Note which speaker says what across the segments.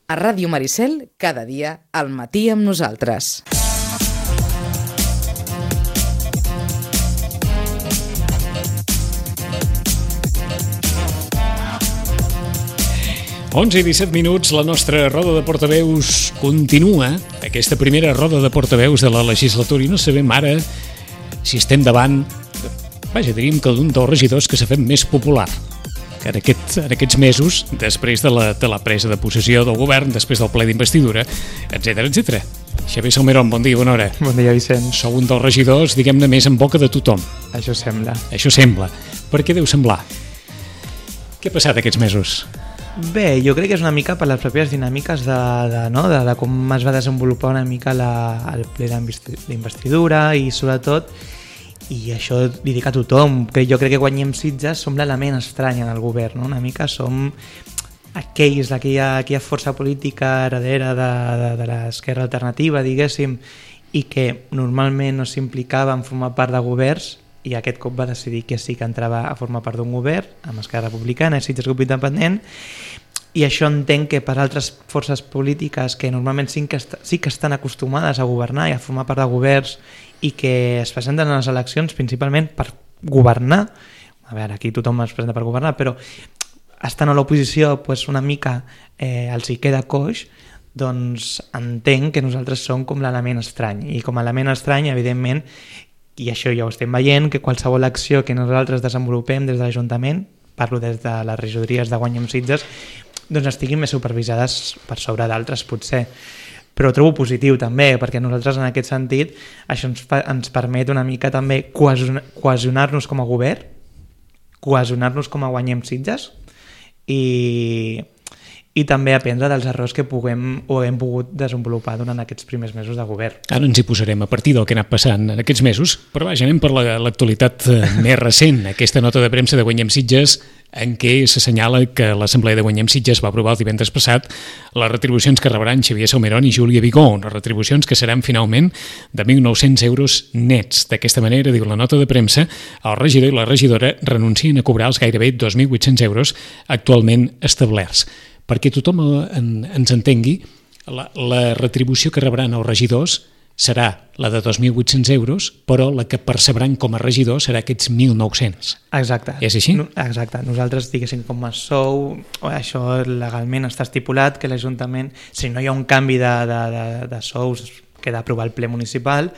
Speaker 1: A Ràdio Maricel, cada dia, al matí amb nosaltres.
Speaker 2: Onze i 17 minuts, la nostra roda de portaveus continua, aquesta primera roda de portaveus de la legislatura, i no sabem ara si estem davant, diríem que d'un dels regidors que s'ha fet més popular que en aquests mesos, després de la presa de possessió del govern, després del ple d'investidura, etc. Xavier Salmerón, bon dia, bona hora.
Speaker 3: Bon dia, Vicent.
Speaker 2: Sou un dels regidors, diguem-ne, més en boca de tothom.
Speaker 3: Això sembla.
Speaker 2: Això sembla. Per què deu semblar? Què ha passat aquests mesos?
Speaker 3: Bé, jo crec que és una mica per les pròpies dinàmiques de com es va desenvolupar una mica el ple d'investidura i sobretot, i això li dic a tothom, que jo crec que Guanyem Sitges som l'element estrany en el govern, no? Una mica som aquella força política heredera de l'esquerra alternativa, diguéssim, i que normalment no s'implicava en formar part de governs, i aquest cop va decidir que sí que entrava a formar part d'un govern amb Esquerra Republicana i Sitges Grup Independent, i això entenc que per altres forces polítiques que normalment sí que estan acostumades a governar i a formar part de governs i que es presenten a les eleccions principalment per governar, a veure, aquí tothom es presenta per governar, però estan a l'oposició doncs una mica els hi queda coix, doncs entenc que nosaltres som com l'element estrany, i com a element estrany, evidentment, i això ja ho estem veient, que qualsevol acció que nosaltres desenvolupem des de l'Ajuntament, parlo des de les regidories de Guanyem Sitges, doncs estiguin més supervisades per sobre d'altres potser. Però ho trobo positiu també, perquè nosaltres en aquest sentit això ens permet una mica també cohesionar-nos com a govern, cohesionar-nos com a Guanyem Sitges i també aprendre dels errors que puguem o hem pogut desenvolupar durant aquests primers mesos de govern.
Speaker 2: Ara ens hi posarem a partir del que ha anat passant en aquests mesos, però anem per l'actualitat més recent, aquesta nota de premsa de Guanyem Sitges en què s'assenyala que l'Assemblea de Guanyem Sitges va aprovar el divendres passat les retribucions que rebran Xavier Salmerón i Júlia Vigó, unes retribucions que seran finalment de 1.900 euros nets. D'aquesta manera, diu la nota de premsa, el regidor i la regidora renuncien a cobrar els gairebé 2.800 euros actualment establerts. Perquè tothom ens entengui, la retribució que rebran els regidors serà la de 2.800 euros, però la que percebran com a regidor serà aquests 1.900.
Speaker 3: Exacte.
Speaker 2: És així?
Speaker 3: Exacte. Nosaltres, diguéssim, com a sou, això legalment està estipulat que l'Ajuntament, si no hi ha un canvi de sous que ha d'aprovar el ple municipal,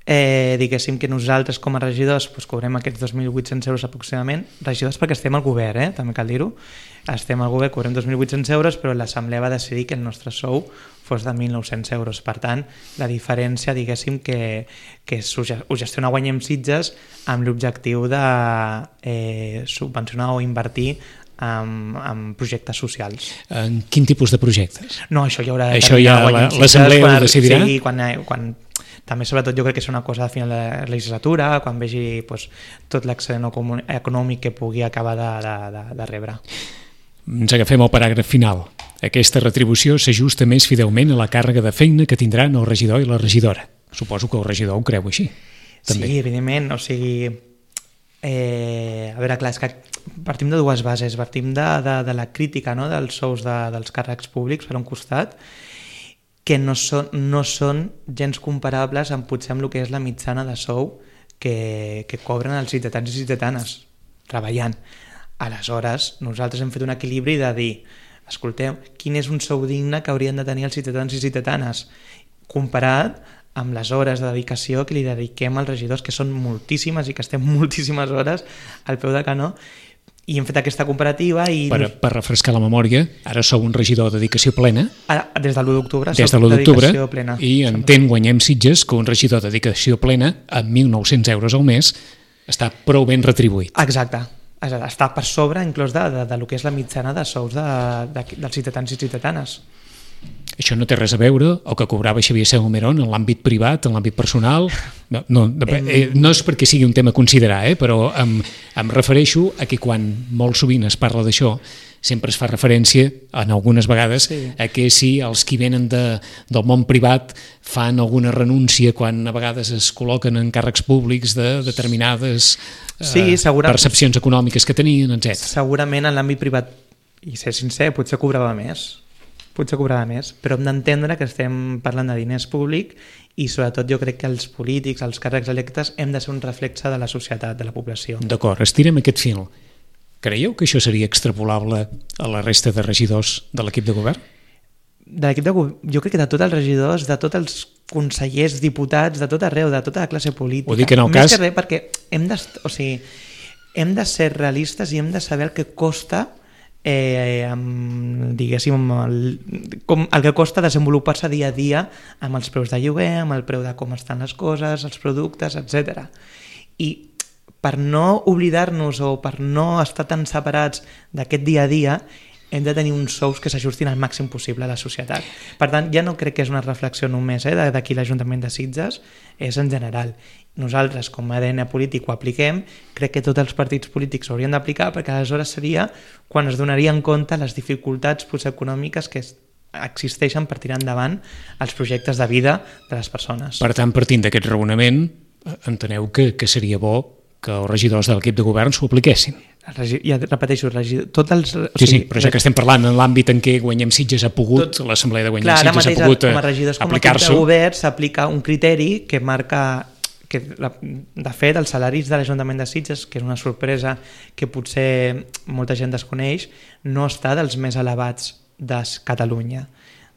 Speaker 3: diguéssim que nosaltres com a regidors cobrem aquests 2.800 euros aproximadament, regidors perquè estem al govern, també cal dir-ho, estem al govern, cobrem 2.800 euros, però l'Assemblea va decidir que el nostre sou fos de 1.900 euros. Per tant, la diferència, diguéssim, que ho gestiona Guanyem Sitges amb l'objectiu de subvencionar o invertir en projectes socials.
Speaker 2: En quin tipus de projectes?
Speaker 3: No, això ja haurà de
Speaker 2: això ja l'Assemblea ho decidirà?
Speaker 3: Sí, quan també sobretot jo crec que és una cosa de final de la legislatura, quan vegi tot l'excedent econòmic que pugui acabar de rebre.
Speaker 2: Ens agafem al paràgraf final. Aquesta retribució s'ajusta més fidelment a la càrrega de feina que tindran el regidor i la regidora. Suposo que el regidor ho creu així. També.
Speaker 3: Sí, evidentment. O sigui, a veure, clar, és que partim de dues bases. Partim de la crítica, no?, dels sous dels càrrecs públics, per un costat, que no són gens comparables amb potser amb el que és la mitjana de sou que cobren els ciutadans i ciutadanes treballant. Aleshores, nosaltres hem fet un equilibri de dir, escolteu, quin és un sou digne que haurien de tenir els ciutadans i ciutadanes comparat amb les hores de dedicació que li dediquem als regidors, que són moltíssimes i que estem moltíssimes hores al peu del canó, i hem fet aquesta comparativa i...
Speaker 2: Per refrescar la memòria, ara sou un regidor de dedicació plena.
Speaker 3: Des de l'1 d'octubre
Speaker 2: des de l'1 d'octubre,
Speaker 3: plena.
Speaker 2: I entén Guanyem Sitges que un regidor de dedicació plena amb 1.900 euros al mes està prou ben retribuït.
Speaker 3: Exacte. Està per sobre inclús de lo que és la mitjana de sous dels ciutadans i ciutadanes.
Speaker 2: Això no té res a veure el que cobrava Xavier Salmerón en l'àmbit privat, en l'àmbit personal. No és perquè sigui un tema a considerar, però em refereixo a que quan molt sovint es parla d'això sempre es fa referència, en algunes vegades, a que si els qui venen del món privat fan alguna renúncia quan a vegades es col·loquen en càrrecs públics de determinades percepcions econòmiques que tenien, etc.
Speaker 3: Segurament en l'àmbit privat, i ser sincer, potser cobrava més. potser cobrava més, però hem d'entendre que estem parlant de diners públics i sobretot jo crec que els polítics, els càrrecs electes, hem de ser un reflexe de la societat, de la població.
Speaker 2: D'acord, estirem aquest fil. Creieu que això seria extrapolable a la resta de regidors de l'equip de govern?
Speaker 3: De l'equip de govern, jo crec que de tots els regidors, de tots els consellers, diputats, de tot arreu, de tota la classe política.
Speaker 2: Ho dic en el
Speaker 3: Més
Speaker 2: cas...
Speaker 3: que res perquè hem de ser realistes i hem de saber el que costa diguéssim el que costa desenvolupar-se dia a dia amb els preus de lloguer, amb el preu de com estan les coses, els productes, etc. I per no oblidar-nos o per no estar tan separats d'aquest dia a dia hem de tenir uns sous que s'ajustin al màxim possible a la societat. Per tant, ja no crec que és una reflexió només d'aquí l'Ajuntament de Sitges, és en general. Nosaltres, com a ADN polític, ho apliquem, crec que tots els partits polítics ho haurien d'aplicar, perquè aleshores seria quan es donarien compte les dificultats econòmiques que existeixen per tirar endavant els projectes de vida de les persones.
Speaker 2: Per tant, partint d'aquest raonament, enteneu que seria bo que els regidors de l'equip de govern s'ho apliquessin.
Speaker 3: Ja repeteixo, tots els...
Speaker 2: Sí, però ja que estem parlant en l'àmbit en què Guanyem Sitges ha pogut, l'Assemblea de Guanyem Sitges ha pogut
Speaker 3: com a regidors, com a equip de govern, s'aplica un criteri que marca que, de fet, els salaris de l'Ajuntament de Sitges, que és una sorpresa que potser molta gent desconeix, no està dels més elevats de Catalunya.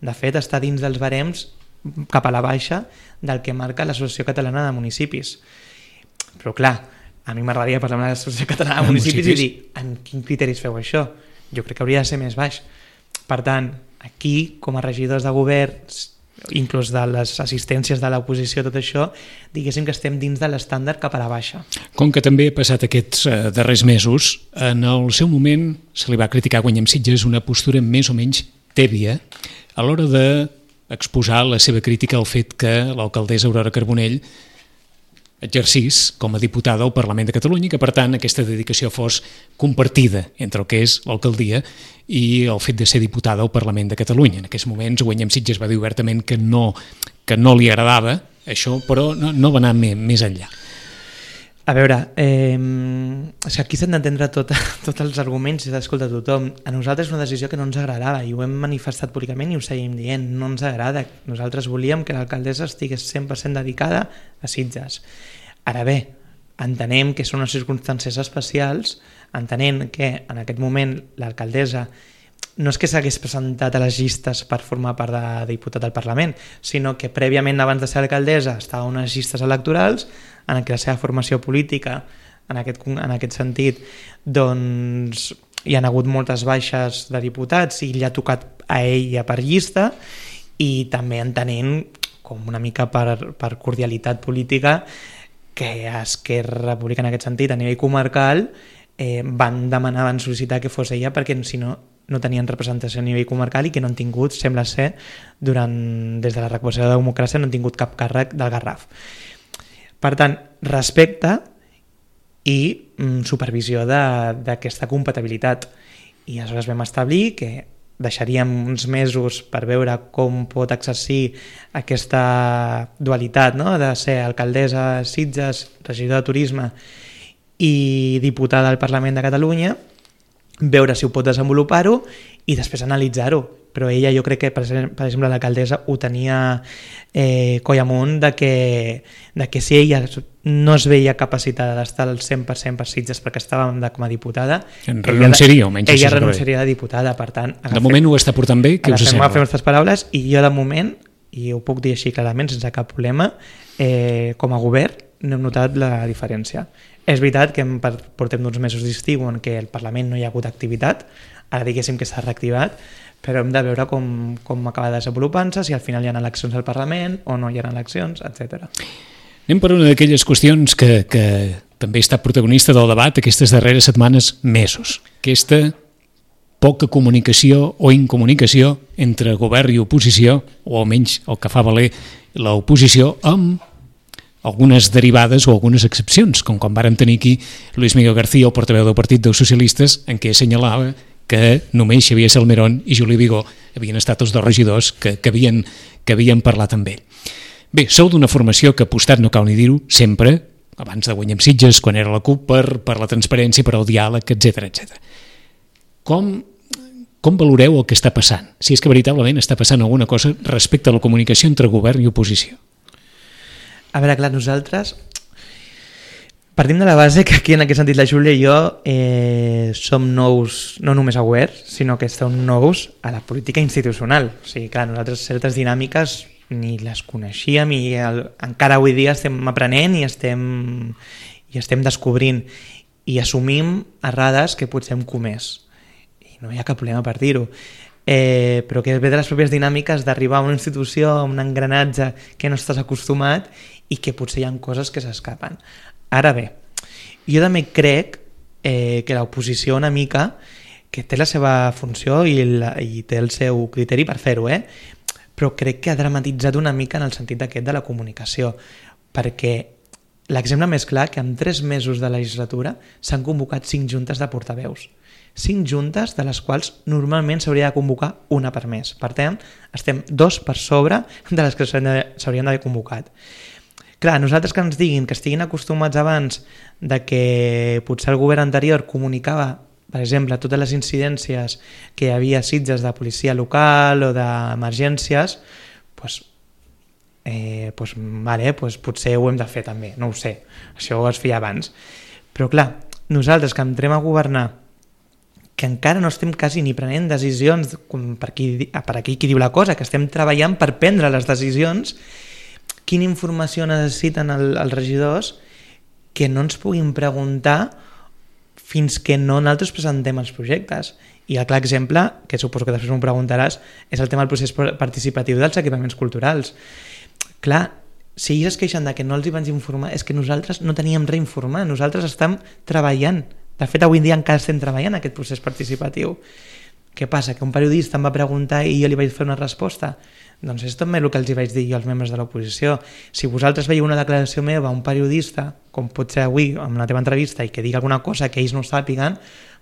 Speaker 3: De fet, està dins dels barems cap a la baixa del que marca l'Associació Catalana de Municipis. Però clar, a mi m'agradaria parlar amb l'Associació Catalana de Municipis i dir en quins criteris feu això? Jo crec que hauria de ser més baix. Per tant, aquí, com a regidors de govern, inclús de les assistències de l'oposició, tot això, diguéssim que estem dins de l'estàndard cap a la baixa.
Speaker 2: Com que també ha passat aquests darrers mesos, en el seu moment se li va criticar a Guanyem Sitges una postura més o menys tèbia a l'hora d'exposar la seva crítica al fet que l'alcaldessa Aurora Carbonell exercís com a diputada al Parlament de Catalunya i que, per tant, aquesta dedicació fos compartida entre el que és l'alcaldia i el fet de ser diputada al Parlament de Catalunya. En aquests moments, Guanyem Sitges va dir obertament que no li agradava això, però no va anar més enllà.
Speaker 3: A veure, aquí s'han d'entendre tots els arguments i d'escoltar tothom. A nosaltres és una decisió que no ens agradava i ho hem manifestat públicament i ho seguim dient. No ens agrada. Nosaltres volíem que l'alcaldessa estigués 100% dedicada a Sitges. Ara bé, entenem que són unes circumstàncies especials, entenent que en aquest moment l'alcaldessa no és que s'hagués presentat a les llistes per formar part de diputat al Parlament, sinó que prèviament abans de ser alcaldessa estava a unes llistes electorals en què la seva formació política en aquest sentit doncs hi ha hagut moltes baixes de diputats i li ha tocat a ella per llista i també entenent com una mica per cordialitat política que Esquerra Republicana en aquest sentit a nivell comarcal van sol·licitar que fos ella perquè si no tenien representació a nivell comarcal i que no han tingut, sembla ser, des de la recuperació de la democràcia no han tingut cap càrrec del Garraf. Per tant, respecte i supervisió d'aquesta compatibilitat. I aleshores vam establir que deixaríem uns mesos per veure com pot exercir aquesta dualitat, no? De ser alcaldessa de Sitges, regidor de turisme i diputada al Parlament de Catalunya, veure si ho pot desenvolupar-ho i després analitzar-ho. Però ella, jo crec que, per exemple, l'alcaldessa ho tenia coll amunt de que si ella no es veia capacitada d'estar al 100% per Sitges perquè estava com a diputada,
Speaker 2: renunciaria, almenys.
Speaker 3: Ella renunciaria de diputada, per tant...
Speaker 2: De moment ho està portant bé, què us sembla?
Speaker 3: Agafem aquestes paraules i jo de moment, i ho puc dir així clarament, sense cap problema, com a govern no hem notat la diferència. És veritat que portem uns mesos d'estiu en què el Parlament no hi ha hagut activitat, ara diguéssim que s'ha reactivat, però hem de veure com acaba desenvolupant-se, si al final hi ha eleccions al Parlament o no hi ha eleccions, etc.
Speaker 2: Anem per una d'aquelles qüestions que també ha estat protagonista del debat aquestes darreres setmanes, mesos. Aquesta poca comunicació o incomunicació entre govern i oposició, o almenys el que fa valer l'oposició, amb algunes derivades o algunes excepcions, com quan vàrem tenir aquí Luis Miguel García, el portaveu del Partit dels Socialistes, en què assenyalava que només Xavier Salmerón i Juli Vigó havien estat els dos regidors que havien parlat amb ell. Bé, sou d'una formació que ha apostat, no cal ni dir-ho, sempre, abans de Guanyem Sitges, quan era la CUP, per la transparència, per al diàleg, etc. Com com valoreu el que està passant? Si és que veritablement està passant alguna cosa respecte a la comunicació entre govern i oposició.
Speaker 3: A veure, clar, nosaltres partim de la base que aquí en aquest sentit la Júlia i jo som nous no només a govern, sinó que som nous a la política institucional. O sigui, clar, nosaltres certes dinàmiques ni les coneixíem i encara avui dia estem aprenent i estem descobrint i assumim errades que potser hem comès. I no hi ha cap problema per dir-ho. Però que ve de les pròpies dinàmiques d'arribar a una institució, a un engranatge que no estàs acostumat i que potser hi ha coses que s'escapen. Ara bé, jo també crec que l'oposició una mica que té la seva funció i té el seu criteri per fer-ho, però crec que ha dramatitzat una mica en el sentit aquest de la comunicació, perquè l'exemple més clar que en 3 mesos de legislatura s'han convocat 5 juntes de portaveus. 5 juntes de les quals normalment s'hauria de convocar una per mes. Per tant, estem 2 per sobre de les que s'haurien d'haver convocat. Clar, nosaltres que ens diguin que estiguin acostumats abans de que potser el govern anterior comunicava, per exemple, totes les incidències que hi havia a Sitges de policia local o d'emergències, potser ho hem de fer també, no ho sé, això es feia abans. Però clar, nosaltres que entrem a governar, que encara no estem quasi ni prenent decisions per aquí qui diu la cosa, que estem treballant per prendre les decisions, quina informació necessiten els regidors que no ens puguin preguntar fins que no nosaltres presentem els projectes. I el clar exemple, que suposo que després m'ho preguntaràs, és el tema del procés participatiu dels equipaments culturals. Clar, si ells es queixen de que no els hi van informar, és que nosaltres no teníem res a informar, nosaltres estem treballant. De fet, avui en dia encara estem treballant aquest procés participatiu. Què passa? Que un periodista em va preguntar i jo li vaig fer una resposta? Doncs és també el que els hi vaig dir jo als membres de l'oposició. Si vosaltres veieu una declaració meva a un periodista, com pot ser avui amb la teva entrevista, i que digui alguna cosa que ells no sàpiguen,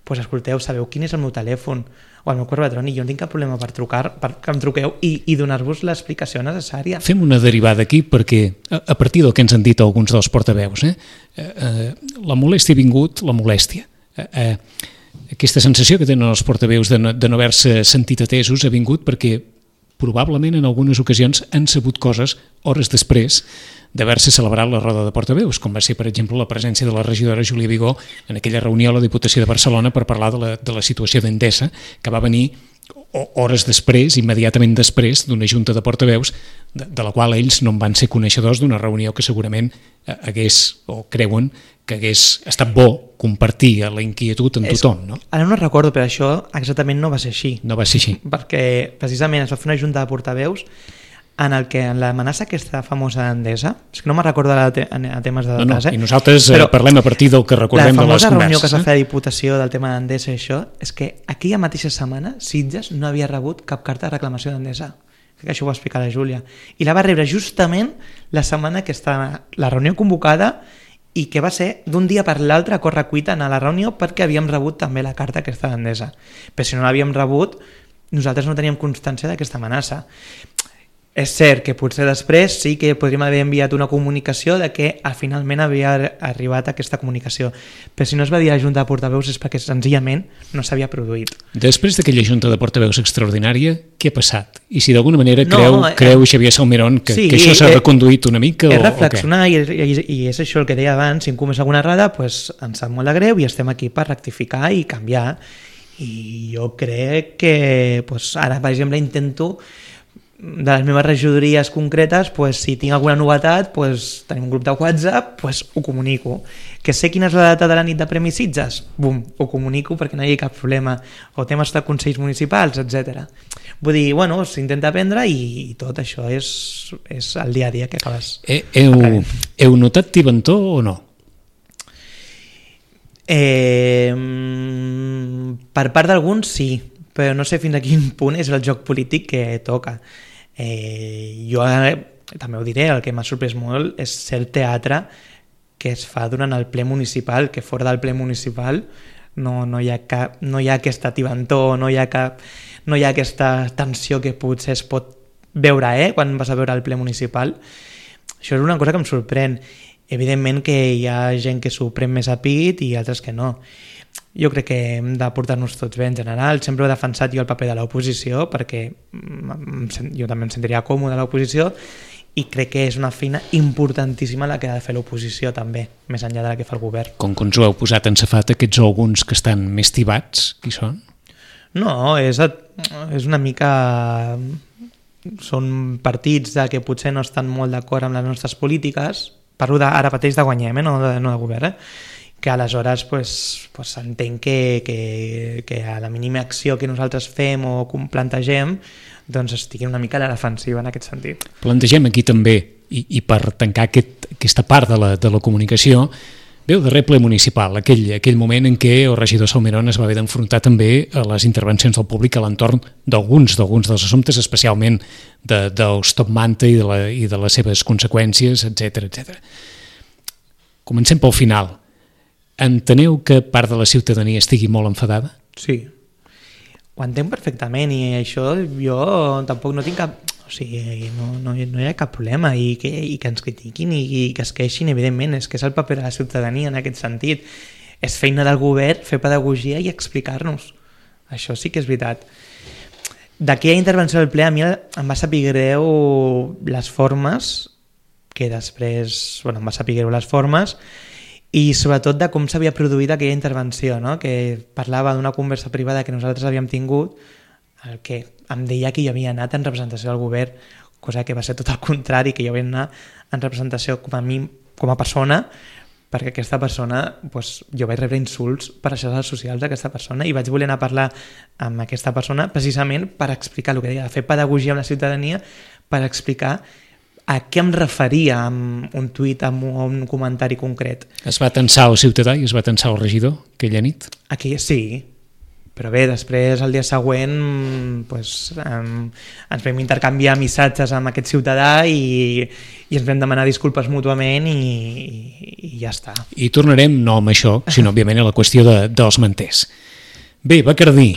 Speaker 3: doncs escolteu, sabeu quin és el meu telèfon o el meu correu electrònic, jo no tinc cap problema per trucar, perquè em truqueu i donar-vos l'explicació necessària.
Speaker 2: Fem una derivada aquí perquè a partir del que ens han dit alguns dels portaveus, la molèstia ha vingut, la molèstia. Aquesta sensació que tenen els portaveus de no haver-se sentit atesos ha vingut perquè probablement en algunes ocasions han sabut coses hores després d'haver-se celebrat la roda de portaveus, com va ser, per exemple, la presència de la regidora Júlia Vigó en aquella reunió a la Diputació de Barcelona per parlar de la situació d'Endesa, que va venir hores després, immediatament després, d'una junta de portaveus, de la qual ells no en van ser coneixedors, d'una reunió que segurament hagués, o creuen, que hagués estat bo compartir la inquietud amb tothom, no?
Speaker 3: Ara no recordo, però això exactament no va ser així.
Speaker 2: No va ser així.
Speaker 3: Perquè precisament es va fer una junta de portaveus en el que en l'amenaça aquesta famosa d'Endesa, és que no me'n recordo a temes de detalls,
Speaker 2: I nosaltres parlem a partir del que recordem de les converses.
Speaker 3: La famosa reunió que es va fer a Diputació del tema d'Endesa i això, és que aquella mateixa setmana Sitges no havia rebut cap carta de reclamació d'Endesa. Crec que això ho va explicar la Júlia. I la va rebre justament la setmana que està la reunió convocada i que va ser d'un dia per l'altre a correcuita anar a la reunió perquè havíem rebut també la carta aquesta d'Endesa. Però si no l'havíem rebut, nosaltres no teníem constància d'aquesta amenaça. És cert que potser després sí que podríem haver enviat una comunicació de que finalment havia arribat aquesta comunicació, però si no es va dir a la Junta de Portaveus és perquè senzillament no s'havia produït.
Speaker 2: Després d'aquella Junta de Portaveus extraordinària, què ha passat? I si d'alguna manera creu Xavier Salmerón que això s'ha reconduït una mica?
Speaker 3: És reflexionar i és això el que deia abans, si hem comès alguna errada, doncs ens sap molt de greu i estem aquí per rectificar i canviar. I jo crec que ara, per exemple, intento de les meves regidories concretes, si tinc alguna novetat, tenim un grup de WhatsApp, ho comunico. Que sé quina és la data de la nit de Premis Sitges? Bum, ho comunico perquè no hi ha cap problema. O temes de consells municipals, etc. Vull dir, s'intenta aprendre i tot això és el dia a dia que acabes.
Speaker 2: Heu notat tibantor o no?
Speaker 3: Per part d'alguns sí, però no sé fins a quin punt és el joc polític que toca. Jo també ho diré, el que m'ha sorprès molt és cert teatre que es fa durant el ple municipal, que fora del ple municipal no hi ha aquesta tibantor, no hi ha aquesta tensió que potser es pot veure quan vas a veure el ple municipal. Això és una cosa que em sorprèn. Evidentment que hi ha gent que s'ho pren més a pit i altres que no. jo crec que hem de portar-nos tots bé en general. Sempre he defensat jo el paper de l'oposició perquè jo també em sentiria còmode a l'oposició i crec que és una feina importantíssima la que ha de fer l'oposició també, més enllà de la que fa el govern.
Speaker 2: Com que ens ho heu posat en safata, aquests alguns que estan més tibats, qui són?
Speaker 3: No, és una mica... Són partits que potser no estan molt d'acord amb les nostres polítiques, parlo ara mateix de Guanyem, no de govern, que aleshores s'entén que a la mínima acció que nosaltres fem o plantegem doncs estiguin una mica a la defensiva en aquest sentit.
Speaker 2: Plantegem aquí també, i per tancar aquesta part de la comunicació, ve el darrer ple municipal, aquell moment en què el regidor Salmerón es va haver d'enfrontar també a les intervencions del públic a l'entorn d'alguns dels assumptes, especialment dels top manta i de les seves conseqüències, etc. Comencem pel final. Enteneu que part de la ciutadania estigui molt enfadada?
Speaker 3: Sí, ho entenc perfectament i això jo tampoc no tinc cap... O sigui, no hi ha cap problema i que ens critiquin i que es queixin, evidentment, és que és el paper de la ciutadania en aquest sentit. És feina del govern fer pedagogia i explicar-nos. Això sí que és veritat. D'aquella intervenció del ple a mi em va saber greu les formes, que després em va saber greu les formes, i sobretot de com s'havia produït aquella intervenció, no? Que parlava d'una conversa privada que nosaltres havíem tingut, el que em deia que jo havia anat en representació del govern, cosa que va ser tot el contrari, que jo havia anat en representació com a mi, com a persona, perquè aquesta persona, jo vaig rebre insults per les xarxes socials d'aquesta persona i vaig voler anar a parlar amb aquesta persona precisament per explicar el que deia, fer pedagogia amb la ciutadania, per explicar a què em referia amb un tuit, amb un comentari concret.
Speaker 2: Es va tensar el ciutadà i es va tensar el regidor aquella nit?
Speaker 3: Aquí sí, però bé, després el dia següent ens vam intercanviar missatges amb aquest ciutadà i ens vam demanar disculpes mútuament i ja està.
Speaker 2: I tornarem no amb això, sinó òbviament a la qüestió dels manters. Bé, Bacardí,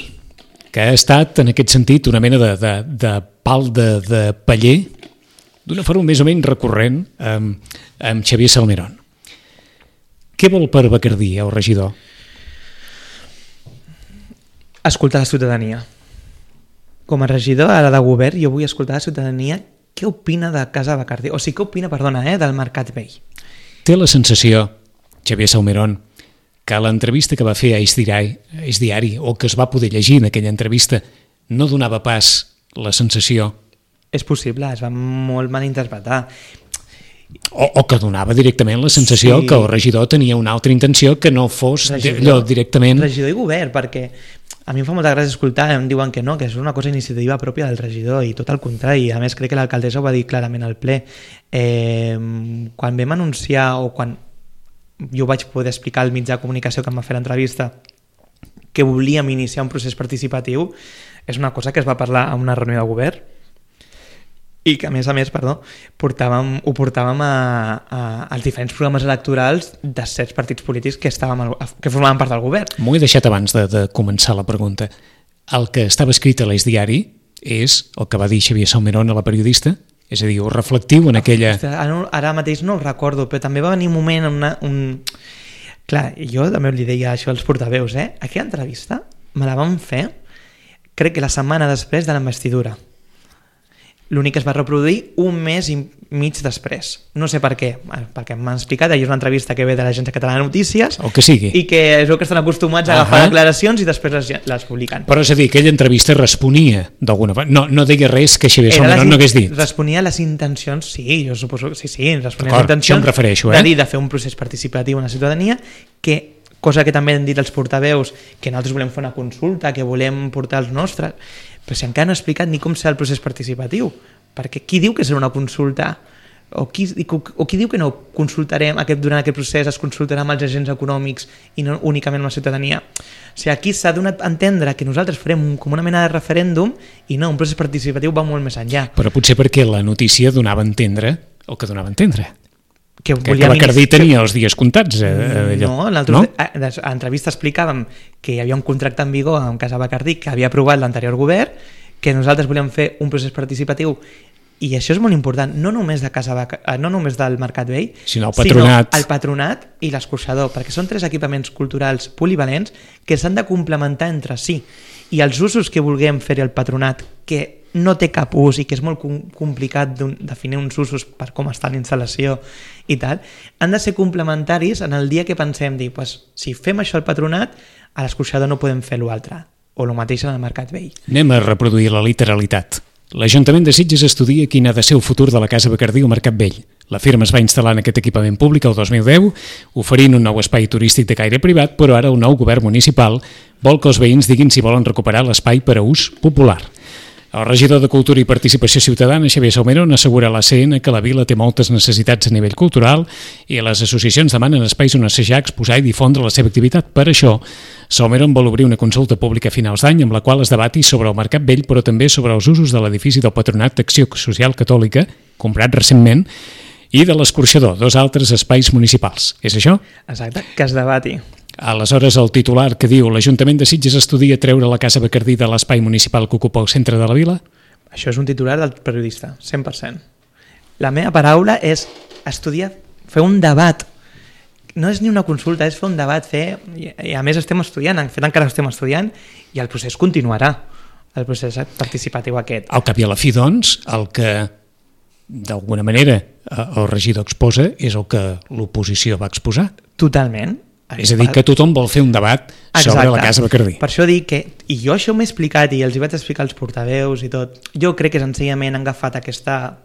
Speaker 2: que ha estat en aquest sentit una mena de pal de paller d'una forma més o menys recurrent amb Xavier Salmerón. Què vol per Bacardí, el regidor?
Speaker 3: Escoltar la ciutadania. Com a regidor ara de govern, jo vull escoltar la ciutadania què opina de Casa Bacardí, o sigui, què opina, del Mercat Vell.
Speaker 2: Té la sensació, Xavier Salmerón, que l'entrevista que va fer a Eix Diari, o que es va poder llegir en aquella entrevista, no donava pas la sensació...
Speaker 3: És possible, es va molt mal interpretar.
Speaker 2: O que donava directament la sensació que el regidor tenia una altra intenció que no fos allò directament...
Speaker 3: Regidor i govern, perquè a mi em fa molta gràcia escoltar, em diuen que no, que és una cosa iniciativa pròpia del regidor i tot el contrari. A més, crec que l'alcaldessa ho va dir clarament al ple. Quan vam anunciar o quan jo vaig poder explicar al mitjà de comunicació que em va fer l'entrevista que volíem iniciar un procés participatiu, és una cosa que es va parlar a una reunió de govern i que a més, ho portàvem als diferents programes electorals de certs partits polítics que formaven part del govern.
Speaker 2: M'ho he deixat abans de començar la pregunta. El que estava escrit a l'Eix Diari és el que va dir Xavier Salmerón a la periodista, és a dir, ho reflectiu en aquella...
Speaker 3: Ara mateix no ho recordo, però també va venir un moment Clar, jo també li deia això als portaveus, aquella entrevista me la vam fer, crec que la setmana després de la investidura. L'únic que es va reproduir un mes i mig després. No sé per què, perquè m'han explicat, és una entrevista que ve de l'Agència Catalana de Notícies,
Speaker 2: o que sigui.
Speaker 3: I que és el que estan acostumats a agafar declaracions i després les publiquen.
Speaker 2: Però és a dir, aquella entrevista responia d'alguna manera, no deia res que Xavier Salmerón no hagués dit.
Speaker 3: Responia a les intencions, sí, jo suposo que sí, responia a les intencions
Speaker 2: això em refereixo,
Speaker 3: de fer un procés participatiu en la ciutadania, que cosa que també han dit els portaveus, que nosaltres volem fer una consulta, que volem portar els nostres, però si encara no he explicat ni com serà el procés participatiu, perquè qui diu que serà una consulta o qui diu que no consultarem durant aquest procés, es consultarà amb els agents econòmics i no únicament amb la ciutadania. O sigui, aquí s'ha donat a entendre que nosaltres farem com una mena de referèndum i no, un procés participatiu va molt més enllà.
Speaker 2: Però potser perquè la notícia donava a entendre el que donava a entendre. Que Bacardí tenia els dies comptats.
Speaker 3: No, a l'entrevista explicàvem que hi havia un contracte en vigor amb Casa Bacardí que havia aprovat l'anterior govern, que nosaltres volíem fer un procés participatiu i això és molt important, no només del Mercat Vell,
Speaker 2: sinó el
Speaker 3: patronat i l'escorxador, perquè són 3 equipaments culturals polivalents que s'han de complementar entre si. I els usos que vulguem fer al patronat, que no té cap ús i que és molt complicat definir uns usos per com està la instal·lació i tal, han de ser complementaris en el dia que pensem dir, si fem això al patronat, a l'escorxador no podem fer l'altre, o el mateix en el Mercat Vell.
Speaker 2: Anem a reproduir la literalitat. L'Ajuntament de Sitges estudia quin ha de ser el futur de la Casa Bacardí al Mercat Vell. La firma es va instal·lar en aquest equipament públic el 2010, oferint un nou espai turístic de caire privat, però ara el nou govern municipal vol que els veïns diguin si volen recuperar l'espai per a ús popular. El regidor de Cultura i Participació Ciutadana, Xavier Salmerón, assegura a l'ACN que la vila té moltes necessitats a nivell cultural i les associacions demanen espais on assajar, exposar i difondre la seva activitat. Per això, Salmerón vol obrir una consulta pública a finals d'any amb la qual es debati sobre el Mercat Vell, però també sobre els usos de l'edifici del Patronat d'Acció Social Catòlica, comprat recentment, i de l'Escorxador, 2 altres espais municipals. És això?
Speaker 3: Exacte, que es debati.
Speaker 2: Aleshores, el titular que diu l'Ajuntament de Sitges estudia treure la Casa Bacardí de l'espai municipal que ocupa el centre de la vila?
Speaker 3: Això és un titular del periodista, 100%. La meva paraula és estudiar, fer un debat. No és ni una consulta, és fer un debat, i a més estem estudiant, en fet encara estem estudiant, i el procés continuarà, el procés participatiu aquest.
Speaker 2: Al cap i a la fi, doncs, el que d'alguna manera el regidor exposa és el que l'oposició va exposar.
Speaker 3: Totalment.
Speaker 2: És a dir, que tothom vol fer un debat sobre la Casa Bacardí.
Speaker 3: Per això dic que, i jo això m'he explicat i els hi vaig explicar als portaveus i tot, jo crec que senzillament han agafat aquesta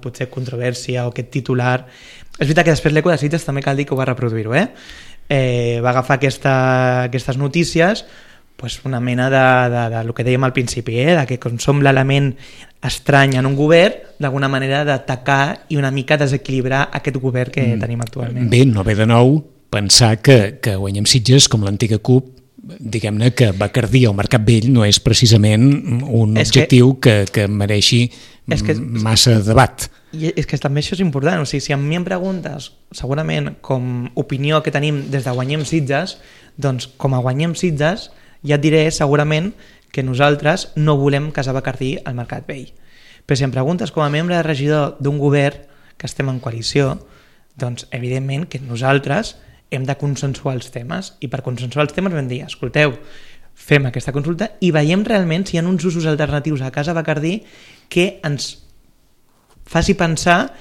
Speaker 3: potser controvèrsia o aquest titular. És veritat que després l'Eco de Sitges també cal dir que ho va reproduir-ho, va agafar aquestes notícies, una mena de lo que dèiem al principi, de que com som l'element estrany en un govern, d'alguna manera d'atacar i una mica desequilibrar aquest govern que tenim actualment.
Speaker 2: Bé, no ve de nou pensar que Guanyem Sitges, com l'antiga CUP, diguem-ne que Bacardí al Mercat Vell no és precisament un objectiu que mereixi massa debat.
Speaker 3: I és que també això és important, o sigui, si a mi em preguntes, segurament com opinió que tenim des de Guanyem Sitges, doncs com a Guanyem Sitges ja et diré segurament que nosaltres no volem Casa Bacardí al Mercat Vell. Però si em preguntes com a membre de regidor d'un govern que estem en coalició, doncs evidentment que nosaltres hem de consensuar els temes, i per consensuar els temes vam dir, escolteu, fem aquesta consulta i veiem realment si hi ha uns usos alternatius a Casa Bacardí que ens faci pensar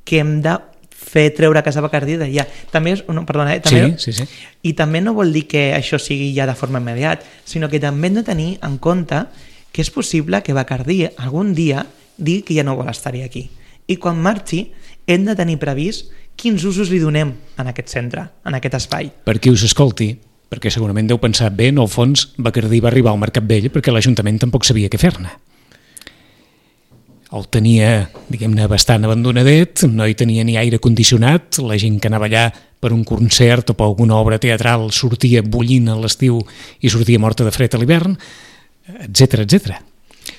Speaker 3: que hem de fer treure Casa Bacardí d'allà. També és, perdona, també,
Speaker 2: sí.
Speaker 3: I també no vol dir que això sigui ja de forma immediata, sinó que també hem de tenir en compte que és possible que Bacardí algun dia digui que ja no vol estar-hi aquí. I quan marxi hem de tenir previst quins usos li donem en aquest centre, en aquest espai.
Speaker 2: Per qui us escolti, perquè segurament deu pensar bé, en el fons Bacardí va arribar al Mercat Vell perquè l'Ajuntament tampoc sabia què fer-ne. El tenia, diguem-ne, bastant abandonadet, no hi tenia ni aire condicionat, la gent que anava allà per un concert o per alguna obra teatral sortia bullint a l'estiu i sortia morta de fred a l'hivern, etc.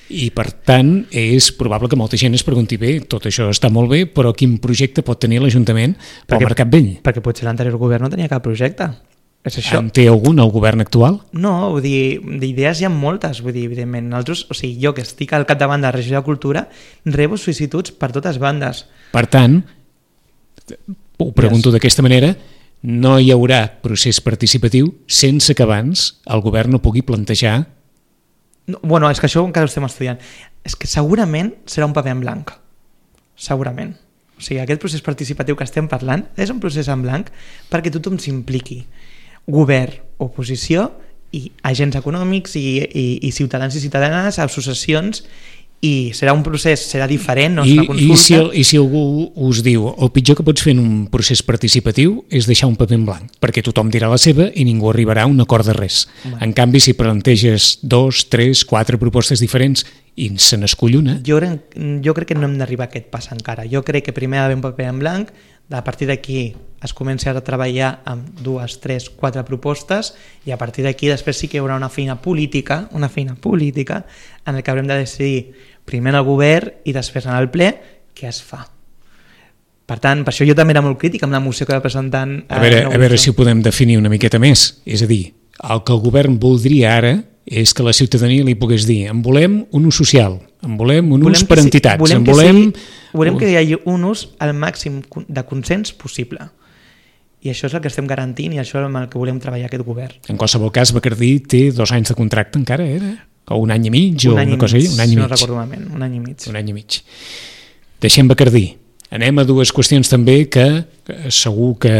Speaker 2: I per tant és probable que molta gent es pregunti, bé, tot això està molt bé, però quin projecte pot tenir l'Ajuntament pel Mercat Vell?
Speaker 3: Perquè potser l'anterior govern no tenia cap projecte. És això.
Speaker 2: En té algun, el govern actual?
Speaker 3: No, vull dir, d'idees hi ha moltes, vull dir, evidentment. Nosaltres, o sigui, jo que estic al capdavant de la regió de Cultura, rebo sol·licituds per totes bandes.
Speaker 2: Per tant, ho pregunto d'aquesta manera, no hi haurà procés participatiu sense que abans el govern no pugui plantejar...
Speaker 3: No, bueno, és que això encara ho estem estudiant. És que segurament serà un paper en blanc. Segurament. O sigui, aquest procés participatiu que estem parlant és un procés en blanc perquè tothom s'impliqui. Govern, oposició i agents econòmics i ciutadans i ciutadanes, associacions, i serà un procés, serà diferent, no és una consulta.
Speaker 2: I si algú us diu el pitjor que pots fer en un procés participatiu és deixar un paper en blanc, perquè tothom dirà la seva i ningú arribarà a un acord de res. En canvi, si planteges 2, 3, 4 propostes diferents i se n'escull una...
Speaker 3: Jo crec que no hem d'arribar a aquest pas encara. Jo crec que primer ha d'haver un paper en blanc, a partir d'aquí es comença a treballar amb 2, 3, 4 propostes i a partir d'aquí després sí que hi haurà una feina política en el que haurem de decidir primer en el govern i després en el ple què es fa. Per tant, per això jo també era molt crític amb la moció que va presentant...
Speaker 2: A veure si ho podem definir una miqueta més. És a dir, el que el govern voldria ara és que la ciutadania li pogués dir en volem un ús social, En volem un ús per entitats.
Speaker 3: Volem que hi hagi un ús al màxim de consens possible. I això és el que estem garantint i això és amb el que volem treballar aquest govern.
Speaker 2: En qualsevol cas, Bacardí té 2 anys de contracte encara, era? O 1 any i mig?
Speaker 3: Un any i mig,
Speaker 2: un any i mig.
Speaker 3: no recordo malament, un any i mig.
Speaker 2: Un any i mig. Deixem Bacardí. Anem a 2 qüestions també que segur que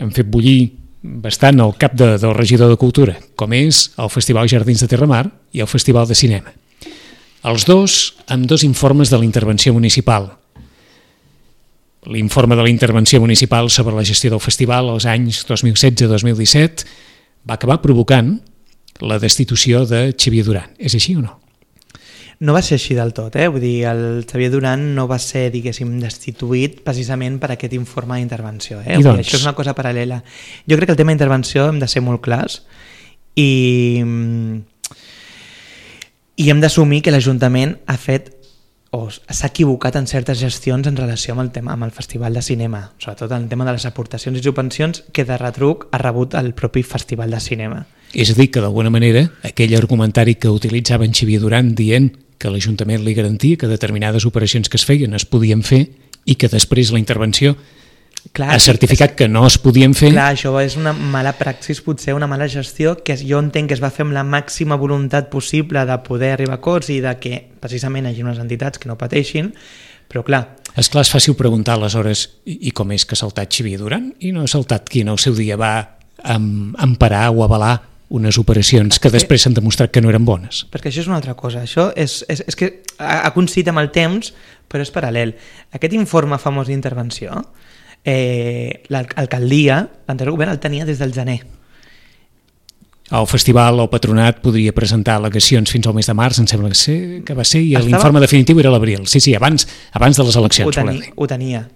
Speaker 2: han fet bullir bastant el cap del regidor de Cultura, com és el Festival Jardins de Terramar i el Festival de Cinema. Els dos amb 2 informes de la intervenció municipal. L'informe de la intervenció municipal sobre la gestió del festival als anys 2016-2017 va acabar provocant la destitució de Xavier Duran. És així o no?
Speaker 3: No va ser així del tot, vull dir, el Xavier Duran no va ser, diguéssim, destituït precisament per aquest informe d'intervenció.
Speaker 2: I doncs?
Speaker 3: Això és una cosa paral·lela. Jo crec que el tema d'intervenció hem de ser molt clars i hem d'assumir que l'Ajuntament ha fet o s'ha equivocat en certes gestions en relació amb el tema amb el Festival de Cinema, sobretot en el tema de les aportacions i subvencions que de retruc ha rebut el propi Festival de Cinema.
Speaker 2: És a dir, que d'alguna manera aquell argumentari que utilitzaven Xavier Duran dient que l'Ajuntament li garantia que determinades operacions que es feien es podien fer i que després la intervenció ha certificat que no es podien fer.
Speaker 3: Clar, això és una mala praxis, potser una mala gestió que jo entenc que es va fer amb la màxima voluntat possible de poder arribar a acords i de que precisament hi hagi unes entitats que no pateixin, però clar...
Speaker 2: Esclar, és fàcil preguntar aleshores i com és que ha saltat Xavier Duran i no ha saltat qui en el seu dia va emparar o avalar unes operacions que després s'han demostrat que no eren bones.
Speaker 3: Perquè això és una altra cosa. Això és que ha coincidit amb el temps, però és paral·lel. Aquest informe famós d'intervenció, l'alcaldia, l'anterior govern el tenia des del gener.
Speaker 2: El festival o patronat podria presentar al·legacions fins al mes de març, em sembla que va ser, i l'informe definitiu era l'abril. Sí, abans de les eleccions.
Speaker 3: Ho tenia.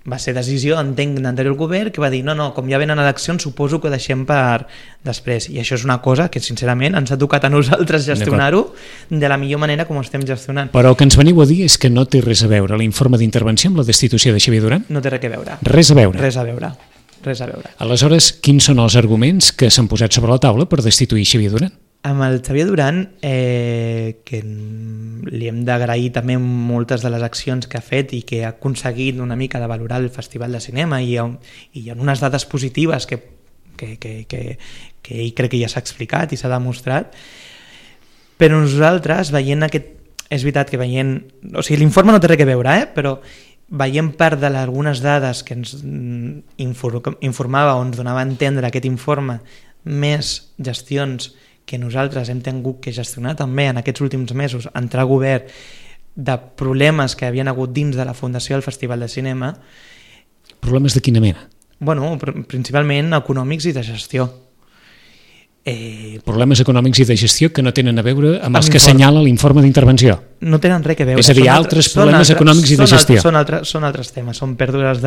Speaker 3: Va ser decisió, entenc, d'anterior govern que va dir, no, com ja venen eleccions suposo que ho deixem per després, i això és una cosa que sincerament ens ha tocat a nosaltres gestionar-ho de la millor manera com ho estem gestionant.
Speaker 2: Però el que ens veniu a dir és que no té res a veure l'informe d'intervenció amb la destitució de Xavier Duran?
Speaker 3: No té res a veure.
Speaker 2: Res a veure?
Speaker 3: Res a veure. Res a veure.
Speaker 2: Aleshores, quins són els arguments que s'han posat sobre la taula per destituir Xavier Duran?
Speaker 3: Amb el Xavier Duran, que li hem d'agrair també moltes de les accions que ha fet i que ha aconseguit una mica de valorar el Festival de Cinema i en unes dades positives que ell crec que ja s'ha explicat i s'ha demostrat, però nosaltres veient aquest... És veritat que veient... O sigui, l'informe no té res a veure, però veient part d'algunes dades que ens informava o ens donava a entendre aquest informe, més gestions que nosaltres hem tingut que gestionar també en aquests últims mesos, entrar a govern de problemes que havien hagut dins de la Fundació del Festival de Cinema.
Speaker 2: Problemes de quina mena?
Speaker 3: Bueno, principalment econòmics i de gestió.
Speaker 2: Problemes econòmics i de gestió que no tenen a veure amb els que assenyala l'informe d'intervenció.
Speaker 3: No tenen res a veure.
Speaker 2: És a dir, altres problemes econòmics i de gestió.
Speaker 3: Són altres temes, són pèrdues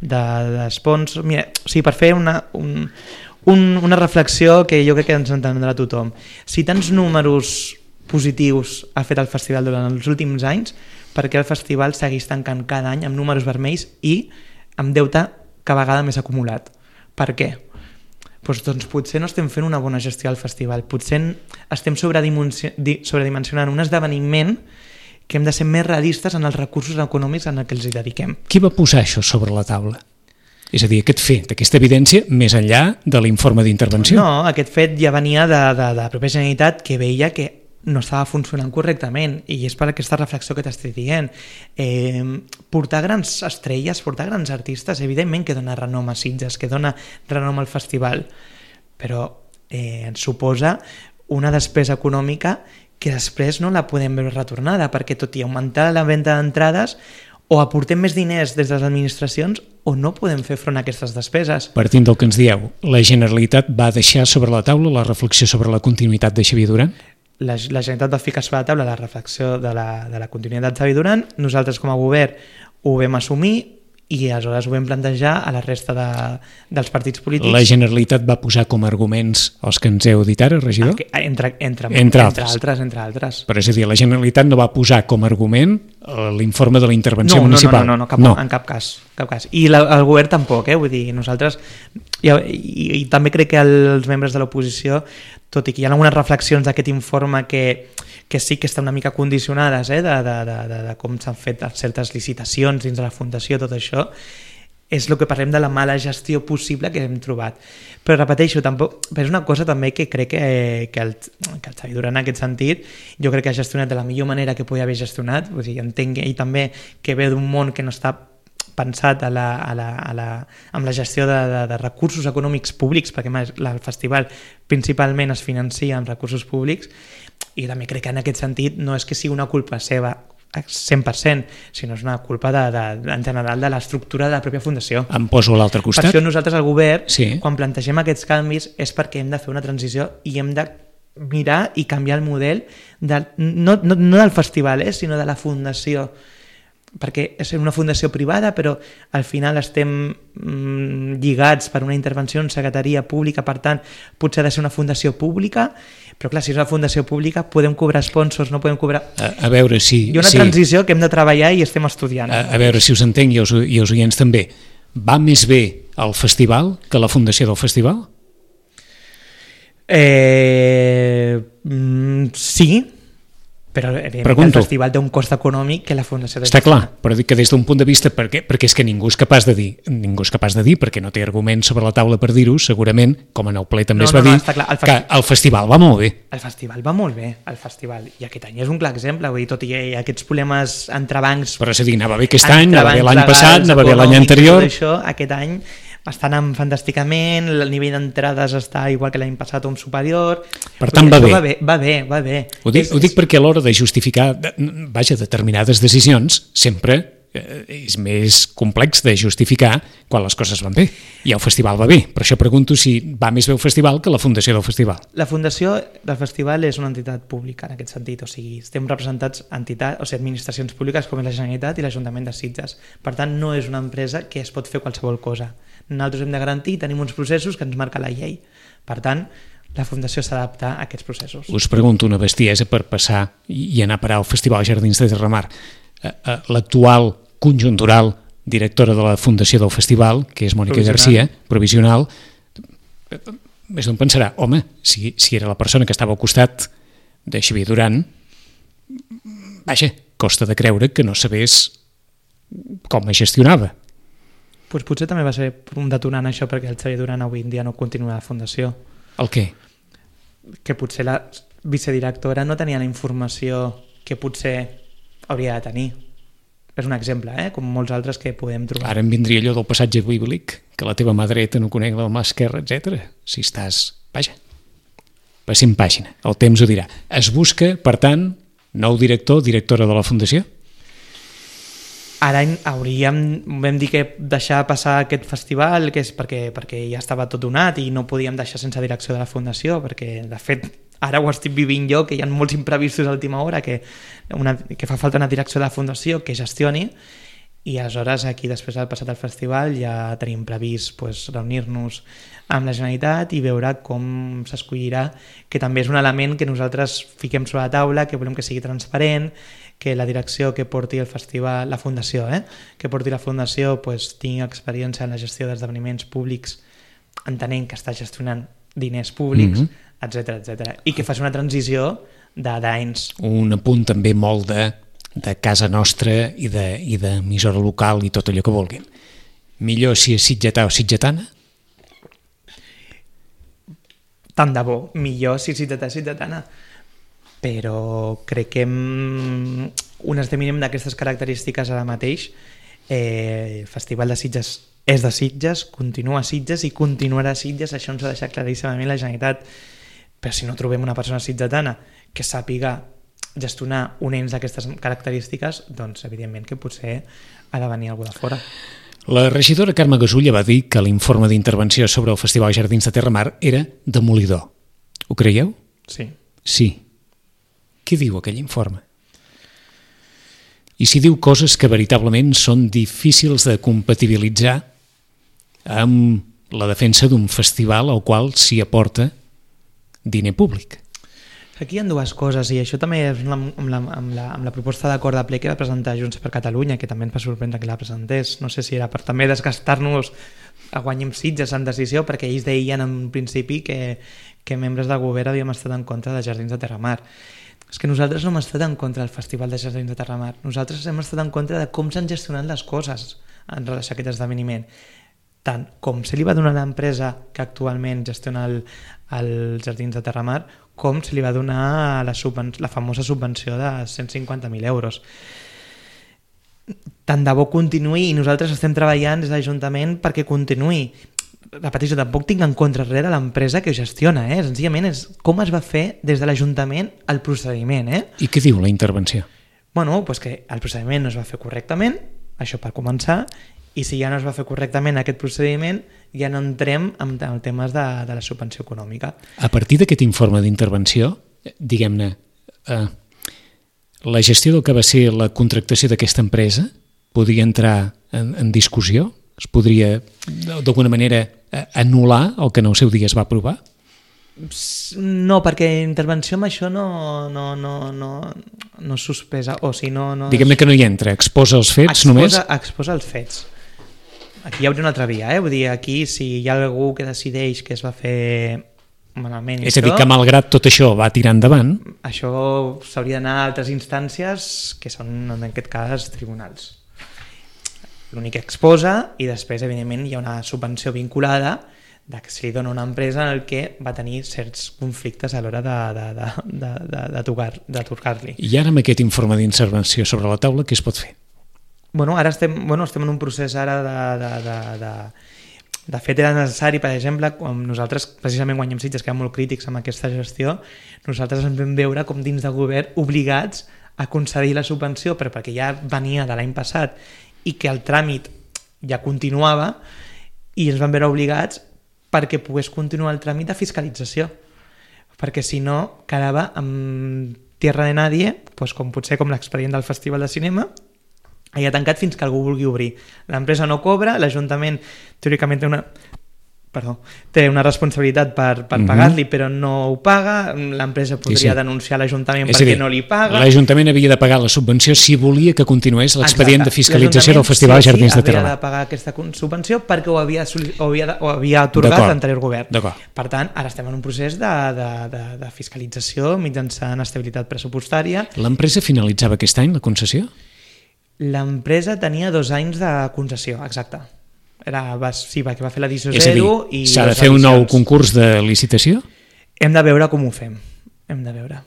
Speaker 3: d'espons. Mira, o sigui, per fer una reflexió que jo crec que ens entendrà tothom. Si tants números positius ha fet el festival durant els últims anys, per què el festival segueix tancant cada any amb números vermells i amb deute cada vegada més acumulat? Per què? Doncs potser no estem fent una bona gestió al festival, potser estem sobredimensionant un esdeveniment que hem de ser més realistes en els recursos econòmics en què els hi dediquem.
Speaker 2: Qui va posar això sobre la taula? És a dir, aquest fet, aquesta evidència, més enllà de l'informe d'intervenció?
Speaker 3: No, aquest fet ja venia de la pròpia Generalitat, que veia que no estava funcionant correctament, i és per aquesta reflexió que t'estic dient. Portar grans estrelles, portar grans artistes, evidentment que dona renom a Sitges, que dona renom al festival, però ens suposa una despesa econòmica que després no la podem veure retornada, perquè tot i augmentar la venda d'entrades, o aportem més diners des de les administracions o no podem fer front a aquestes despeses.
Speaker 2: Partint del que ens dieu, la Generalitat va deixar sobre la taula la reflexió sobre la continuïtat de Xavier Duran?
Speaker 3: La Generalitat va ficar sobre la taula la reflexió de la continuïtat de Xavier Duran, nosaltres com a govern ho vam assumir i aleshores ho vam plantejar a la resta dels partits polítics.
Speaker 2: La Generalitat va posar com a arguments els que ens heu dit ara, regidor?
Speaker 3: Entre altres.
Speaker 2: Però és a dir, la Generalitat no va posar com a argument l'informe de la intervenció municipal.
Speaker 3: No, en cap cas. I el govern tampoc, vull dir, nosaltres, i també crec que els membres de l'oposició, tot i que hi ha algunes reflexions d'aquest informe que sí que estan una mica condicionades de com s'han fet certes licitacions dins de la Fundació, tot això, és el que parlem de la mala gestió possible que hem trobat. Però repeteixo, però és una cosa també que crec que el Xavi Duran en aquest sentit, jo crec que ha gestionat de la millor manera que podia haver gestionat, vull dir, entenc ell també que ve d'un món que no està pensat amb la gestió de recursos econòmics públics, perquè el festival principalment es financia amb recursos públics, i també crec que en aquest sentit no és que sigui una culpa seva 100%, sinó és una culpa en general de l'estructura de la pròpia fundació.
Speaker 2: Em poso a l'altre costat.
Speaker 3: Per això nosaltres al govern,
Speaker 2: sí,
Speaker 3: quan plantegem aquests canvis, és perquè hem de fer una transició i hem de mirar i canviar el model no del festival, sinó de la fundació, perquè és una fundació privada, però al final estem lligats per una intervenció en secretaria pública, per tant potser ha de ser una fundació pública, però clar, si és una fundació pública podem cobrar sponsors, no podem cobrar...
Speaker 2: A veure si...
Speaker 3: Hi ha una transició que hem de treballar i estem estudiant.
Speaker 2: A veure si us entenc i els oients també. Va més bé el festival que la fundació del festival?
Speaker 3: Sí, però el festival té un cost econòmic que la fundació...
Speaker 2: Està clar, però dic que des d'un punt de vista, perquè és que ningú és capaç de dir, perquè no té arguments sobre la taula per dir-ho, segurament, com en el ple també es va dir, que el festival va molt bé.
Speaker 3: El festival va molt bé, i aquest any és un clar exemple, vull dir, tot i aquests problemes entre bancs...
Speaker 2: Però és a dir, anava bé aquest any, anava bé l'any passat, anava bé l'any anterior...
Speaker 3: Aquest any està anant fantàsticament, el nivell d'entrades està igual que l'any passat o un superior...
Speaker 2: Per tant, va bé.
Speaker 3: Va bé.
Speaker 2: Ho dic perquè a l'hora de justificar determinades decisions sempre és més complex de justificar quan les coses van bé. I el festival va bé. Per això pregunto si va més bé el festival que la fundació del festival.
Speaker 3: La fundació del festival és una entitat pública en aquest sentit. O sigui, estem representats administracions públiques com és la Generalitat i l'Ajuntament de Sitges. Per tant, no és una empresa que es pot fer qualsevol cosa. Nosaltres hem de garantir, tenim uns processos que ens marca la llei. Per tant, la Fundació s'adapta a aquests processos.
Speaker 2: Us pregunto una bestiesa per passar i anar a parar al Festival Jardins de Terramar. L'actual conjuntural directora de la Fundació del Festival, que és Mònica Garcia, provisional, més d'on pensarà, home, si era la persona que estava al costat de Xavier Duran, vaja, costa de creure que no sabés com es gestionava.
Speaker 3: Pues potser també va ser un detonant això perquè el Xavier Duran avui en dia no continua a la Fundació.
Speaker 2: El què?
Speaker 3: Que potser la vicedirectora no tenia la informació que potser hauria de tenir. És un exemple, com molts altres que podem trobar.
Speaker 2: Ara em vindria allò del passatge bíblic, que la teva mà dreta no conec la mà esquerra, etc. Si estàs... Vaja, passem pàgina, el temps ho dirà. Es busca, per tant, nou director, directora de la Fundació?
Speaker 3: Ara vam dir que deixar passar aquest festival, que és perquè ja estava tot donat i no podíem deixar sense direcció de la Fundació, perquè de fet ara ho estic vivint jo, que hi ha molts imprevistos a última hora, que fa falta una direcció de la Fundació que gestioni, i aleshores aquí després del passat el festival ja tenim previst reunir-nos amb la Generalitat i veure com s'escollirà, que també és un element que nosaltres fiquem sobre la taula, que volem que sigui transparent, que la direcció que porti el festival, la Fundació, que porti la Fundació tingui experiència en la gestió d'esdeveniments públics, entenent que està gestionant diners públics, etc. I que faci una transició d'anys.
Speaker 2: Un apunt també molt de casa nostra i d'emissora local i tot allò que vulguin. Millor si és sitgetà o sitgetana?
Speaker 3: Tant de bo, millor si és sitgetà o sitgetana. Però crec que un esdeveniment d'aquestes característiques ara mateix, el Festival de Sitges és de Sitges, continua a Sitges i continuarà a Sitges, això ens ha deixat claríssimament la Generalitat. Però si no trobem una persona sitgetana que sàpiga gestionar un ens d'aquestes característiques, doncs evidentment que potser ha de venir algú de fora.
Speaker 2: La regidora Carme Gasulla va dir que l'informe d'intervenció sobre el Festival Jardins de Terramar era demolidor. Ho creieu?
Speaker 3: Sí.
Speaker 2: Sí. Què diu aquell informe? I si diu coses que veritablement són difícils de compatibilitzar amb la defensa d'un festival al qual s'hi aporta diner públic?
Speaker 3: Aquí hi ha dues coses, i això també és amb la proposta d'acord de ple que va presentar Junts per Catalunya, que també ens va sorprendre que la presentés. No sé si era per també desgastar-nos a Guanyem Sitges en decisió, perquè ells deien en principi que membres del govern havíem estat en contra de Jardins de Terramar. És que nosaltres no hem estat en contra del Festival de Jardins de Terramar. Nosaltres hem estat en contra de com s'han gestionat les coses en relació a aquest esdeveniment. Tant com se li va donar a l'empresa que actualment gestiona els Jardins de Terramar, com se li va donar la famosa subvenció de 150.000 euros. Tant de bo continuï, i nosaltres estem treballant des de l'Ajuntament perquè continuï. Repeteixo, tampoc tinc en contra res de l'empresa que ho gestiona, senzillament és com es va fer des de l'Ajuntament el procediment.
Speaker 2: I què diu la intervenció?
Speaker 3: Bueno, doncs que el procediment no es va fer correctament, això per començar, i si ja no es va fer correctament aquest procediment, ja no entrem en temes de la subvenció econòmica.
Speaker 2: A partir d'aquest informe d'intervenció, diguem-ne, la gestió del que va ser la contractació d'aquesta empresa podria entrar en discussió? Es podria, d'alguna manera, anul·lar el que en el seu dia es va aprovar?
Speaker 3: No, perquè intervenció amb això no sospesa, o si no...
Speaker 2: Diguem-ne que no hi entra, exposa els fets només?
Speaker 3: Exposa els fets. Aquí hi hauria una altra via, vull dir, aquí si hi ha algú que decideix que es va fer malament...
Speaker 2: És a dir, que malgrat tot això va tirar endavant...
Speaker 3: Això s'hauria d'anar a altres instàncies, que són, en aquest cas, tribunals. L'únic que exposa, i després, evidentment, hi ha una subvenció vinculada de que se li dona una empresa en el que va tenir certs conflictes a l'hora d'atorgar-li.
Speaker 2: I ara amb aquest informe d'intervenció sobre la taula, què es pot fer?
Speaker 3: Ara estem en un procés ara de fet era necessari, per exemple, quan nosaltres precisament Guanyem Sitges, que érem molt crítics amb aquesta gestió, nosaltres ens vam veure com dins del govern obligats a concedir la subvenció, però perquè ja venia de l'any passat i que el tràmit ja continuava, i ens vam veure obligats perquè pogués continuar el tràmit de fiscalització, perquè si no quedava amb tierra de nadie, com potser com l'expedient del Festival de Cinema, ha tancat fins que algú vulgui obrir. L'empresa no cobra, l'Ajuntament teòricament té una responsabilitat per pagar-li, però no ho paga, l'empresa podria denunciar l'Ajuntament perquè no li paga.
Speaker 2: L'Ajuntament havia de pagar la subvenció si volia que continués l'expedient de fiscalització del Festival de Jardins de Terramar.
Speaker 3: Havia de pagar aquesta subvenció perquè ho havia atorgat l'anterior govern. Per tant, ara estem en un procés de fiscalització mitjançant estabilitat pressupostària.
Speaker 2: L'empresa finalitzava aquest any la concessió?
Speaker 3: L'empresa tenia 2 anys de concessió, exacte. Perquè va fer l'edició 0 i...
Speaker 2: És a dir, s'ha de fer un nou concurs de licitació?
Speaker 3: Hem de veure com ho fem. Hem de veure.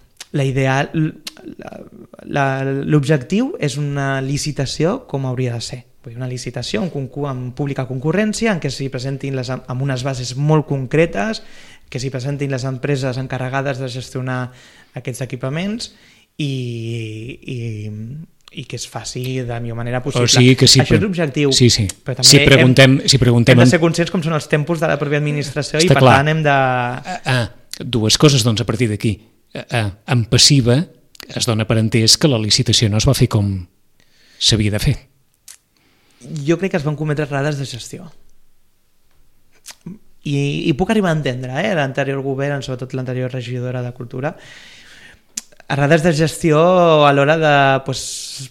Speaker 3: L'objectiu és una licitació com hauria de ser. Una licitació, un concurs amb pública concurrència, en què s'hi presentin amb unes bases molt concretes, que s'hi presentin les empreses encarregades de gestionar aquests equipaments i que es faci de la millor manera possible. Això és l'objectiu.
Speaker 2: Sí.
Speaker 3: Però també
Speaker 2: hem de
Speaker 3: ser conscients com són els tempos de la pròpia administració i per tant hem de...
Speaker 2: Dues coses, doncs, a partir d'aquí. En passiva es dona per entès que la licitació no es va fer com s'havia de fer.
Speaker 3: Jo crec que es van cometre errades de gestió. I puc arribar a entendre, l'anterior govern, sobretot l'anterior regidora de Cultura, errades de gestió a l'hora de,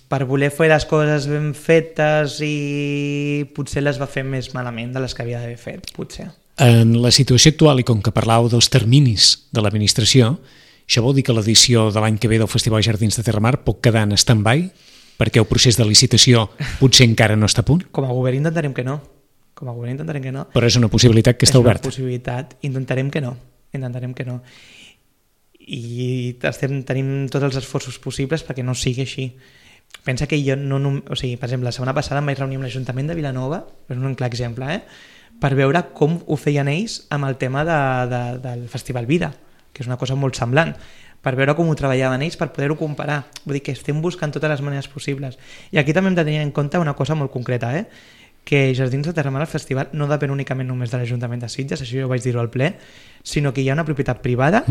Speaker 3: per voler fer les coses ben fetes, i potser les va fer més malament de les que havia d'haver fet, potser.
Speaker 2: En la situació actual, i com que parlàveu dels terminis de l'administració, això vol dir que l'edició de l'any que ve del Festival Jardins de Terramar pot quedar en stand-by perquè el procés de licitació potser encara no està a punt?
Speaker 3: Com a govern intentarem que no.
Speaker 2: Però és una possibilitat que està oberta.
Speaker 3: És una possibilitat, intentarem que no. I tenim tots els esforços possibles perquè no sigui així. Pensa que jo per exemple, la setmana passada em vaig reunir amb l'Ajuntament de Vilanova, és un clar exemple, per veure com ho feien ells amb el tema del Festival Vida, que és una cosa molt semblant, per veure com ho treballaven ells, per poder-ho comparar. Vull dir que estem buscant totes les maneres possibles. I aquí també hem de tenir en compte una cosa molt concreta, que Jardins de Terramar, el festival, no depèn únicament només de l'Ajuntament de Sitges, això jo vaig dir-ho al ple, sinó que hi ha una propietat privada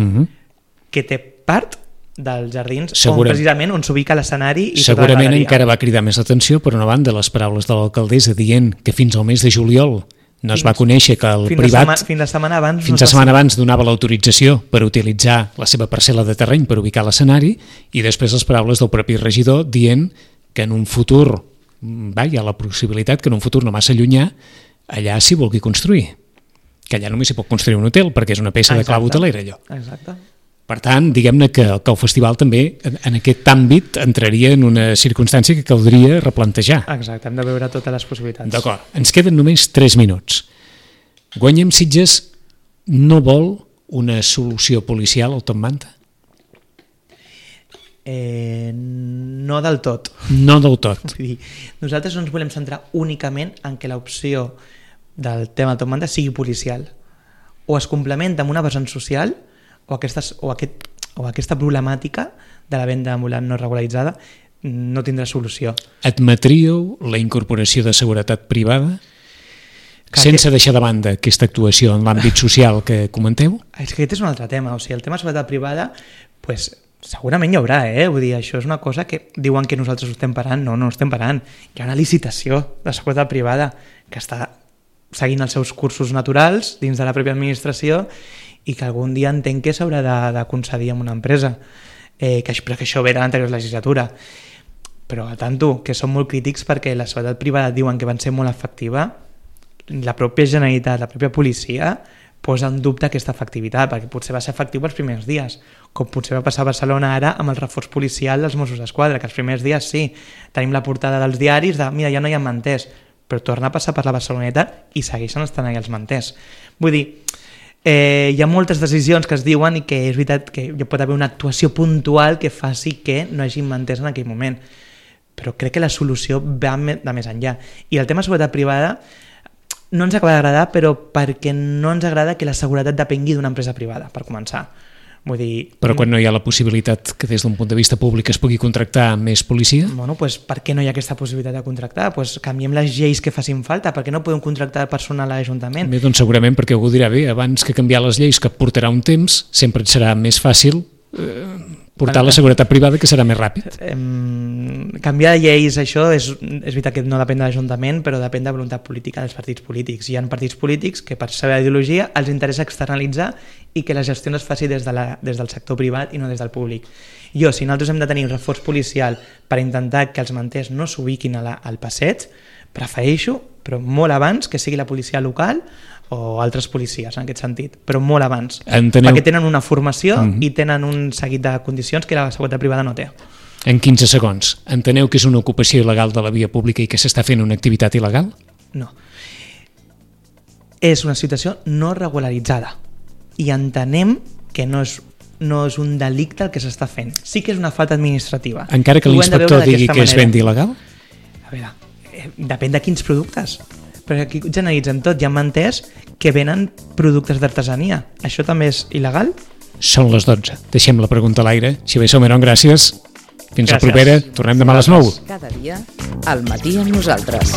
Speaker 3: que té part dels jardins precisament on s'ubica l'escenari i tota la galeria.
Speaker 2: Segurament encara va cridar més l'atenció, per una banda, les paraules de l'alcaldessa dient que fins al mes de juliol No es va conèixer que el privat
Speaker 3: fins la setmana abans
Speaker 2: fins la setmana abans donava l'autorització per utilitzar la seva parcel·la de terreny per ubicar l'escenari, i després les paraules del propi regidor dient que en un futur hi ha la possibilitat que en un futur no massa llunyà allà s'hi vulgui construir, que allà només s'hi pot construir un hotel perquè és una peça de clau hotelera allò.
Speaker 3: Exacte.
Speaker 2: Per tant, diguem-ne que el festival també en aquest àmbit entraria en una circumstància que caldria replantejar.
Speaker 3: Exacte, hem de veure totes les possibilitats.
Speaker 2: D'acord, ens queden només 3 minuts. Guanyem Sitges no vol una solució policial al Top Manta?
Speaker 3: No del tot.
Speaker 2: No del tot.
Speaker 3: Vull dir, nosaltres no ens volem centrar únicament en que l'opció del tema del Top Manta sigui policial. O es complementa amb una vessant social o aquesta problemàtica de la venda ambulant no regularitzada no tindrà solució.
Speaker 2: Admetríeu la incorporació de seguretat privada sense deixar de banda aquesta actuació en l'àmbit social que comenteu?
Speaker 3: És que aquest és un altre tema. O sigui, el tema de seguretat privada, pues, segurament hi haurà, Vull dir, això és una cosa que diuen que nosaltres ho estem parant. No ho estem parant. Hi ha una licitació de seguretat privada que està seguint els seus cursos naturals dins de la pròpia administració i que algun dia entenc que s'haurà de concedir amb una empresa, però que això ve de l'anterior legislatura. Però a tanto, que són molt crítics perquè la seguretat privada diuen que van ser molt efectiva, la pròpia Generalitat, la pròpia policia posa en dubte aquesta efectivitat, perquè potser va ser efectiu els primers dies, com potser va passar a Barcelona ara amb el reforç policial dels Mossos d'Esquadra, que els primers dies sí, tenim la portada dels diaris de mira, ja no hi ha manters, però torna a passar per la Barceloneta i segueixen estant allà els manters. Vull dir, hi ha moltes decisions que es diuen i que és veritat que hi pot haver una actuació puntual que faci que no hi hagi manters en aquell moment, però crec que la solució va de més enllà. I el tema de seguretat privada no ens acaba d'agradar, però perquè no ens agrada que la seguretat depengui d'una empresa privada, per començar. Vull dir,
Speaker 2: però quan no hi ha la possibilitat que des d'un punt de vista públic es pugui contractar més policia?
Speaker 3: Bueno, pues, per què no hi ha aquesta possibilitat de contractar? Pues, canviem les lleis que facin falta, per què no podem contractar personal a l'Ajuntament?
Speaker 2: Bé, doncs segurament perquè algú dirà bé, abans que canviar les lleis, que portarà un temps, sempre et serà més fàcil portar la seguretat privada, que serà més ràpid.
Speaker 3: Canviar de lleis, això és veritat que no depèn de l'Ajuntament, però depèn de voluntat política dels partits polítics. Hi ha partits polítics que per la seva ideologia els interessa externalitzar i que la gestió es faci des del sector privat i no des del públic. Si nosaltres hem de tenir un reforç policial per intentar que els manters no s'ubiquin al passeig, prefereixo, però molt abans, que sigui la policia local o altres policies, en aquest sentit, però molt abans. Perquè tenen una formació i tenen un seguit de condicions que la seguretat privada no té.
Speaker 2: En 15 segons, enteneu que és una ocupació il·legal de la via pública i que s'està fent una activitat il·legal?
Speaker 3: No. És una situació no regularitzada i entenem que no és un delicte el que s'està fent. Sí que és una falta administrativa.
Speaker 2: Encara que l'inspector digui que es vendi il·legal?
Speaker 3: A veure, depèn de quins productes. Però aquí generalitzem tot. Hi ha manters que venen productes d'artesania. Això també és il·legal?
Speaker 2: Són les 12. Deixem la pregunta a l'aire. Xavier Salmerón, gràcies. Fins la propera. Tornem demà a les 9.
Speaker 1: Cada dia, al matí amb nosaltres.